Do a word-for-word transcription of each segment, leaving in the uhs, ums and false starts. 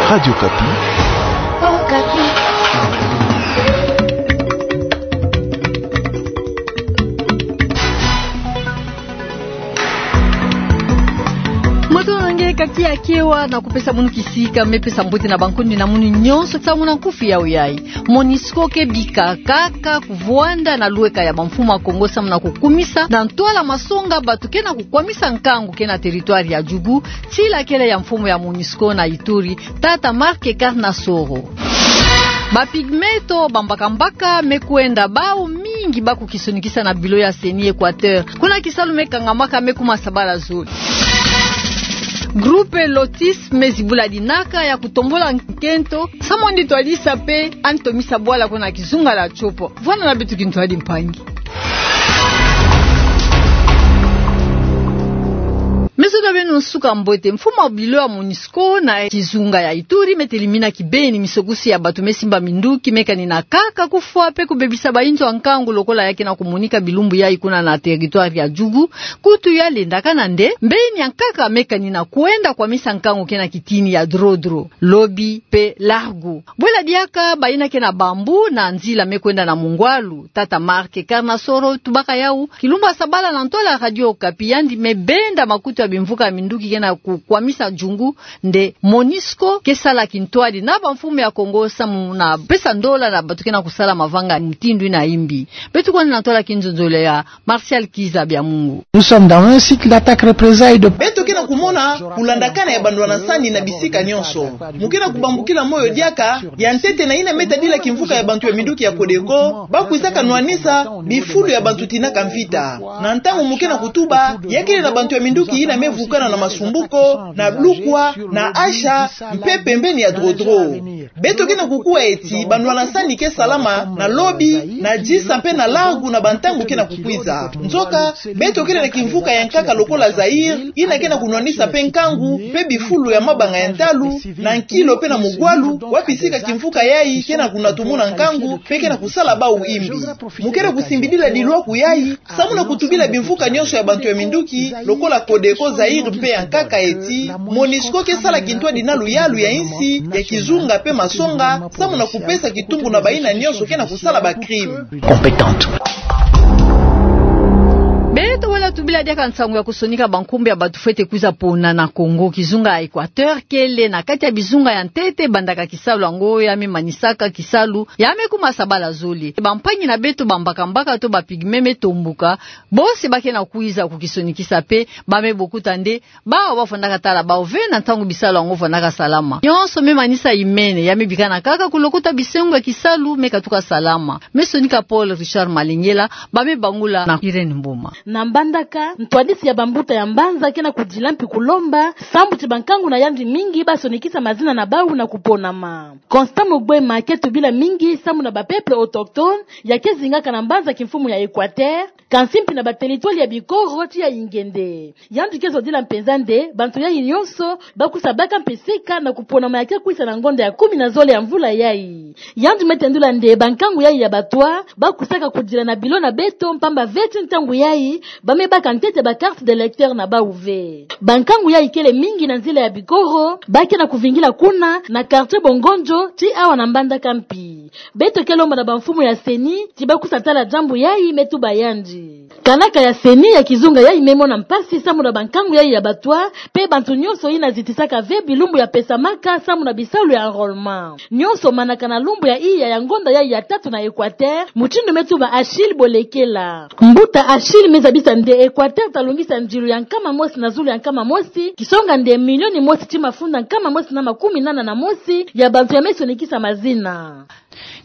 Radio Okapi. Okapi. Moto na nge kaki ya kewa na kupesa munu kisika, me pesa mbote na bankundi na munu nyonso samu na nkufi ya uyai. Monusco ke bika kaka kuvwanda na lweka ya bamfumu ya Kongo samu na kukumisa na ntwala masonga bato ke na kukwamisa nkangu ke na territoire ya Djugu, tila kele ya mfumu ya Monusco na Ituri, tata Marc Carnassoro. Ba pygmées to bambakambaka me kwenda bau mingi ba kukisonikisa na bilo ya CENI Equateur. Kuna kisalu me kangamaka me kuma sabala zole. Groupe Lotis me zibula dinaka ya kutombola nkento, samu andi twadisa pe andi tomisa bwala kuna kizunga la Tshopo. Vwanda na beto kintwadi mpangi. Me zola beno nsuka mbote, mfumu wa bilo ya Monusco na kizunga ya Ituri me telimina kibeni misokusi ya bato me simba minduki me kanina kaka kufwa pe kubebisa bayinzo ya nkangu lokola ya ke na kumonika bilumbu yai kuna na territoire ya Djugu, kutu ya lendakana nde mbeni ya nkaka me kanina kwenda kwamisa nkangu ke na kitini ya Drodro, Lobi pe Largo. Bwela diaka bayina ke na bambou na nzila me kwenda na Mungwalu. Tata Marc Carnassoro tubaka yau kilumbu ya sabala na ntwala Radio Okapi, yandi me benda makutu ya bimvuka ya minduki ke na kukwamisa Djungu nde Monusco ke sala kintwadi na bamfumu ya Kongo samu na pesa ndola na bato ke na kusala mavanga mutindu yina ya mbi. Beto kwani na ntwala kinzonzolo ya Martial Kiza Bya Mungu. Nous sommes dans un cycle d'attaque représailles de... Beto ke na kumona kulandakana ya bandwala nsani na bisika nyonso. Mu ke na kubambukila moyo diaka, ya ntete na yina me tadila kimvuka ya bantu ya minduki ya Codeco, ba kwizaka nwanisa bifulu ya bantu tinaka mvita. Na ntangu mu ke na kutuba, ya kele na bantu ya minduki yina me vukana na Masumbuko, na Blukwa, na Asha, mpe pembeni ya Drodro. Beto ke na kukuwa eti bandwala nsani ke salama na Lobi, na Djisa mpe na Largo na bantangu ke na kukwiza. Nzoka, beto kele na kimvuka ya nkaka lokola Zaïre, yina ke na kunwanisa mpe nkangu, mpe bifulu ya mabanga ya ntalu, na Nkilo mpe na Mugwalu, wapi sika kimvuka yai ke na kunatumuna nkangu, mpe ke na kusala bau imbi. Mu ke na kusimbidila dilwaku yai, samu na kutubila bimvuka nyonso ya bantu ya minduki, lokola Codeco Zaïre mpe ya nkaka eti, Monusco ke sala kintwadi na luyalu ya insi, ya kizunga mpe masonga, samu na kupesa kitumbu na bayina nyonso ke na kusala ba crime. Compétente. Beto wela tubila diaka nsangu ya kusonika bankumbu ya bato fwete kwiza pona na Congo. Kizunga ya Equateur kele na kati ya bizunga ya ntete bandaka kisalu yango, ya me manisaka kisalu, ya me kuma sabala zole. Bampangi na beto bambakambaka to ba pygmées me tombuka, bosi ba ke na kwiza kukisonikisa mpe ba me bokuta nde bawu ba fwandaka tala bawu ve na ntangu bisalu yango fwandaka salama. Nyonso me manisa imene, ya me bikana kaka kulokota bisengo ya kisalu me katuka salama. Me sonika Paul Richard Malengela, ba me bangula na Irène Mboma. Na Mbandaka, ntwadisi ya bambuta ya mbanza ke na kudila mpi kulomba sambu ti bankangu na yandi mingi ba sonikisa mazina na bawu na kuponama. Constant Mugwema ke tubila mingi samu na ba peuples autochtones ya ke zingaka na mbanza kimfumu ya Equateur, kansi mpi na ba territoires ya Bikoro ti ya Ingende. Yandi ke zodila mpenza nde bantu yai nyonso ba kwiza baka mpisika na kuponama ya ke kwisa na ngonda ya kumi na zole ya mvula yai. Yandi me tendula nde bankangu yai ya Batwa ba kwisaka kudila na bilo na beto, mpamba ve ti ntangu yai ba me baka ntete ba cartes d'électeurs na bawu ve. Bankangu yai kele mingi na nzila ya Bikoro ba ke na kuvingila kuna na quartier Bongonjo ti awa na Mbandaka mpi. Beto ke lomba na bamfumu ya CENI ti ba kwiza tala diambu yai, me tuba yandi. Kanaka ya CENI ya kizunga yai me mona mpasi samu na bankangu yai ya Batwa, mpe bantu nyonso yina zitisaka ve bilumbu ya pesamaka samu na bisalu ya enrôlement. Nyonso manaka na lumbu ya iya ya ngonda yai ya tatu na Equateur, mutindu me tuba Achille Bolekela. Mbuta Achille me zabisa nde Equateur ta longisa ndilu ya nkama mosi na zulu ya nkama mosi, kisonga nde milioni mosi ti mafunda nkama mosi na makumi nana na mosi ya bantu ya me sonikisa mazina.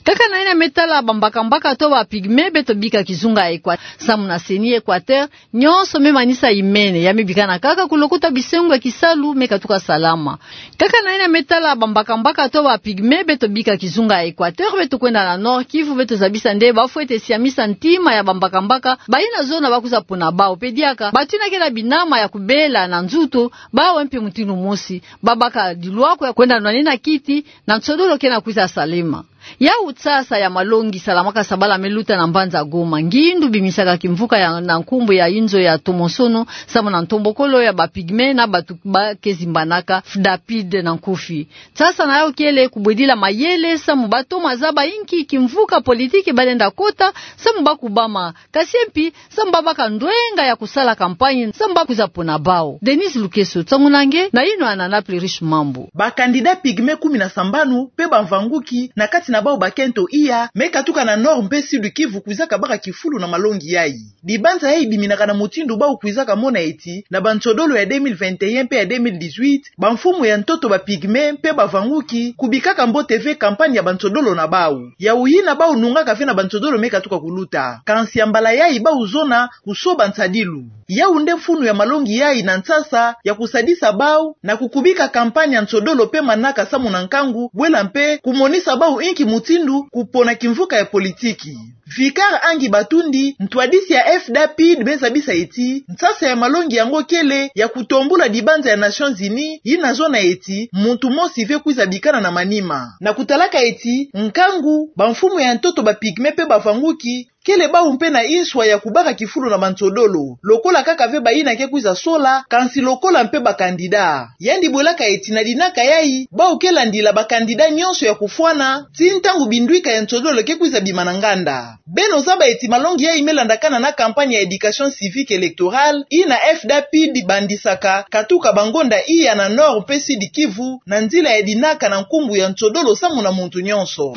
Kaka na yina me tala bambakambaka to ba pygmées, beto bika kizunga ya Equateur, samu na CENI Equateur, nyonso me manisa imene, ya me bikana kaka kulokota bisengo ya kisalu me katuka salama. Kaka na yina me tala bambakambaka to ba pygmées, beto bika kizunga ya Equateur, beto kwenda na Nord-Kivu, beto zabisa nde ba fwete siamisa ntima ya bambakambaka, bayina zona ba kwiza pona bawu, mpe diaka bantu yina ke na binama ya kubela na nzutu, bawu mpe mutindu mosi ba baka dilwaku ya kwenda nwanina kiti na nsodolo ke na kwiza salama. Yau nsasa ya malongi salamaka sabala me luta na mbanza Goma, ngindu bimisaka kimvuka ya na nkumbu ya inzo ya tomosono samu na ntombokolo ya ba pygmées na batu ba ke zimbanaka FDAPID na nkufi. Nsasa na yau kele kubwedila mayele samu batoma zaba inki kimvuka politiki balenda kota samu bakubama, kasi mpi samu babaka ndwenga ya kusala campagne samu bakwiza pona bau. Denise Lukeso, nsangu na nge, na yino ya Nana Plurish Mambu. Ba candidats pygmées kumi na sambanu mpe bamvanguki, na kati na bau bakento iya, me katuka na Nord mpe Sud Kivu, kwizaka baka kifulu na malongi yayi. Dibanza yayi biminaka na mutindu bau kwizaka mona eti, na bansodolo ya deux mille vingt et un mpe ya deux mille dix-huit, bamfumu ya ntoto ba pygmées mpe bavanguki kubikaka mbote ve campagne ya bansodolo na bau. Yau yina bau nungaka ve na bansodolo me katuka kuluta. Kansi ya mbala yayi bau zona kusoba nsadilu. Yau nde mfunu ya malongi yayi na nsasa ya kusadisa bau na kukubika campagne ya nsodolo mpe manaka samu na nkangu, bwela mpe kumonisa bau inki mutindu kupona kimvuka ya politiki. Vicar Angi Batundi, ntwadisi ya FDAPID, me zabisa eti nsasa ya malongi yango kele ya kutombula dibanza ya Nations Unies, yina zona eti muntu mosi ve kwiza bikana na manima. Na kutalaka eti nkangu, bamfumu ya ntoto ba pygmées mpe bavanguki kele bau mpe na inswa ya kubaka kifulu na bansodolo, lokola kaka ve bayina ke kwiza sola, kansi lokola mpe ba candidats. Yandi bwelaka eti na dinaka yayi, bau ke landila ba candidats nyonso ya kufwana, ti ntangu bindwika ya nsodolo ke kwiza bima na nganda. Beno zaba eti malongi yayi me landakana na campagne ya éducation civique électorale, yina FDAPID bandisaka katuka bangonda iya na Nord mpe Sud Kivu, na nzila ya dinaka na nkumbu ya nsodolo samu na muntu nyonso.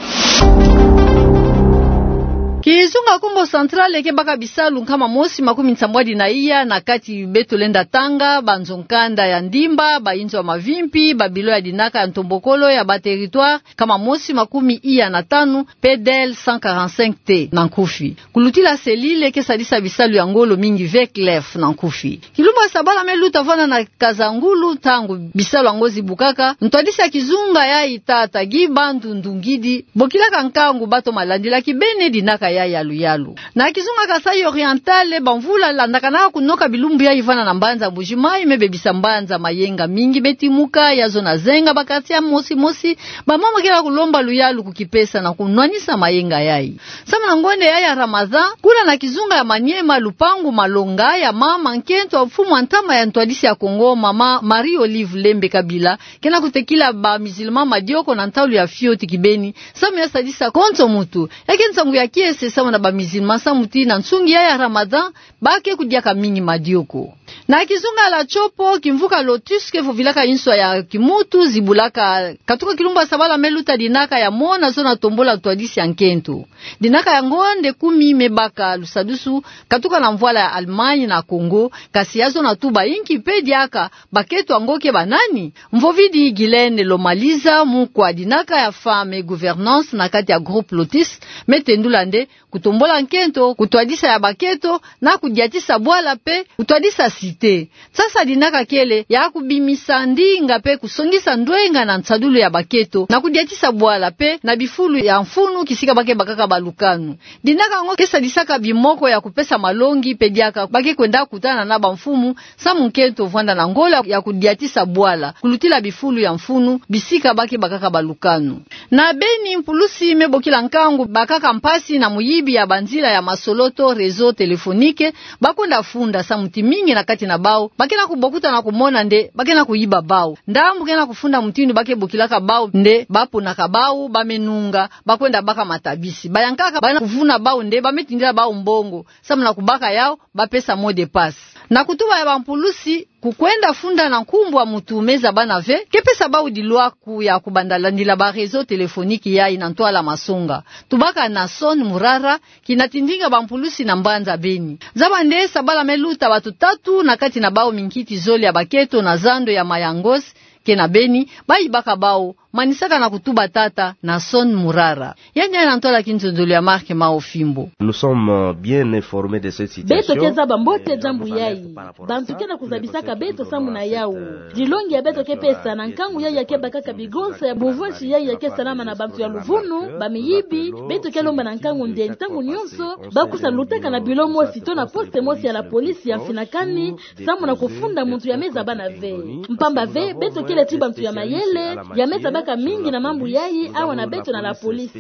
Kizunga Kongo Central ke baka bisalu nkama mosi makumi nsambwadi na iya, na kati beto lenda tanga banzo nkanda ya ndimba, bainzo ya mavimpi, babilo ya dinaka ya ntombokolo ya ba territoires nkama mosi makumi iya na tanu, P D L cent quarante-cinq T na nkufi. Kulutila selile ke sadisa bisalu ya ngolo mingi ve CLEF na nkufi. Kilumbu ya sabala me luta vwanda na Kasangulu, ntangu bisalu yango zibukaka, ntwadisi ya kizunga yayi tata Guy Bandu Ndungidi bokilaka nkangu batoma landila kibeni dinaka yayi ya luyalu. Na kizunga Kasaï Oriental, bamvula landakana kunoka bilumbu yayi vwanda na mbanza Mbuji-Mayi me bebisa mbanza, mayenga mingi me timuka, ya zona zenga ba quartiers mosi mosi, bamama ke na kulomba luyalu kukipesa na kunwanisa mayenga yayi. Samu na ngonde yayi ya Ramadan, kuna na kizunga ya Maniema, lupangu malonga ya mama nkento ya mfumu wa ntama ya ntwadisi ya Kongo, mama Marie Olive Lembe Kabila, ke na kutekila ba musulmans madioko na ntalu ya fioti kibeni, samu ya sadisa konso muntu. Ya ke nsangu ya kiese samu na ba musulmans, samu ti na nsungi yayi ya Ramadan, ba ke kudiaka mingi madioko. Na kizunga la Tshopo, kimvuka Lotus ke vovilaka inswa ya kimuntu, zibulaka katuka kilumbu ya sabala me luta dinaka ya mona zona tombola ntwadisi ya nkento. Dinaka yango nde kumi me baka lusadusu katuka na mvwala ya Allemagne na Congo, kasi ya zona tuba inki mpe diaka, bakento yango ke banani? Mvovidi Guylaine Lomaliza, mukwa dinaka ya Femmes et Gouvernance na kati ya groupe Lotus, me tendula nde kutombola nkento, kutwadisa ya bakento, na kudiatisa bwala mpe kutwadisa cité. Nsasa dinaka kele ya kubimisa ndinga mpe kusongisa ndwenga na nsadulu ya bakento, na kudiatisa bwala mpe na bifulu ya mfunu kisika ba ke bakaka balukanu. Dinaka yango ke sadisaka bimoko ya kupesa malongi mpe diaka ba ke kwenda kutana na bamfumu, samu nkento vwanda na ngolo ya kudiatisa bwala, kulutila bifulu ya mfunu, bisika ba ke bakaka balukanu. Na Beni, mpulusi me bokila nkangu bakaka mpasi na muyibi ya banzila ya masolo to réseau téléphonique, ba kwenda funda, samu ti mingi na kati na bau ba ke na kubokuta na kumona nde ba ke na kuyiba bau. Ndambu ke na kufunda mutindu ba ke bokilaka bau nde ba ponaka bau, ba me nunga, ba kwenda baka matabisi. Bayankaka ba na kuvuna bau nde ba me tindila bau mbongo, samu na kubaka yau ba pesa mot de passe. Na kutuba ya bampulusi, kukwenda funda na nkumbu ya muntu me zabana ve, ke pesa bau dilwaku ya kubanda landila ba réseau téléphonique yayi na ntwala masonga. Tubaka Nason Murara, kina tindinga bampulusi na mbanza Beni. Zaba nde sabala me luta, batu tatu na kati na bau minkiti zole ya bakento na zando ya Mayangos, ke na Beni, bayibaka bau, manisaka na kutuba tata Nason Murara. Yandi ya na ntwala kinzonzolo ya Marc Mao Fimbo. Nous sommes, euh, bien informés de cette situation. Beto ke zaba mbote diambu yayi. Bantu ke na kuzabisaka beto samu na yau. Dilongi ya beto ke pesa na nkangu yayi ya ke bakaka bigonsa ya buvonsi yayi ya ke salama na bantu ya luvunu, bamiyibi, beto ke lomba na nkangu nde ntangu nyonso ba kusa lutaka na bureau mosi to na poste mosi ya la police ya mfinakani, samu na kufunda muntu ya me zabana ve. Mpamba ve, beto ke kele ti bantu ya mayele ya me zabaka mingi na mambu yayi awa na beto na la police.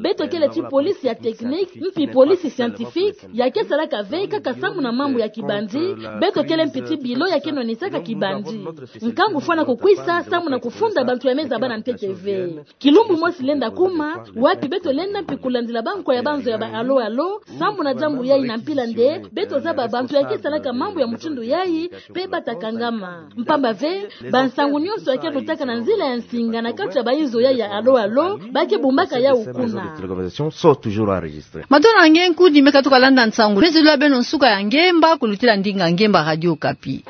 Beto kele ti police ya technique mpi police scientifique ya ke salaka ve kaka samu na mambu ya kibandi. Beto kele mpi ti bilo ya ke nonisaka kibandi. Nkangu fwana kukwisa samu na kufunda bantu ya me zaba na ntete ve. Kilumbu mosi lenda kuma wapi beto lenda mpi kulandila bankwa ya banzo ya ba alo alo samu na diambu yayi na mpila nde beto zaba bantu ya ke salaka mambu ya mutindu yayi mpe bata kangama. Mpamba ve bansangu nionso ya ke lutaka na nzila ya nsinga na kati ya bainzo yayi ya alo alo ba ke bumbaka yawu kuna. Matondo na nge nkudi me katuka landa nsangu. Mpe zolula beno nsuka ya ngemba kulutila ndinga ngemba Radio Okapi.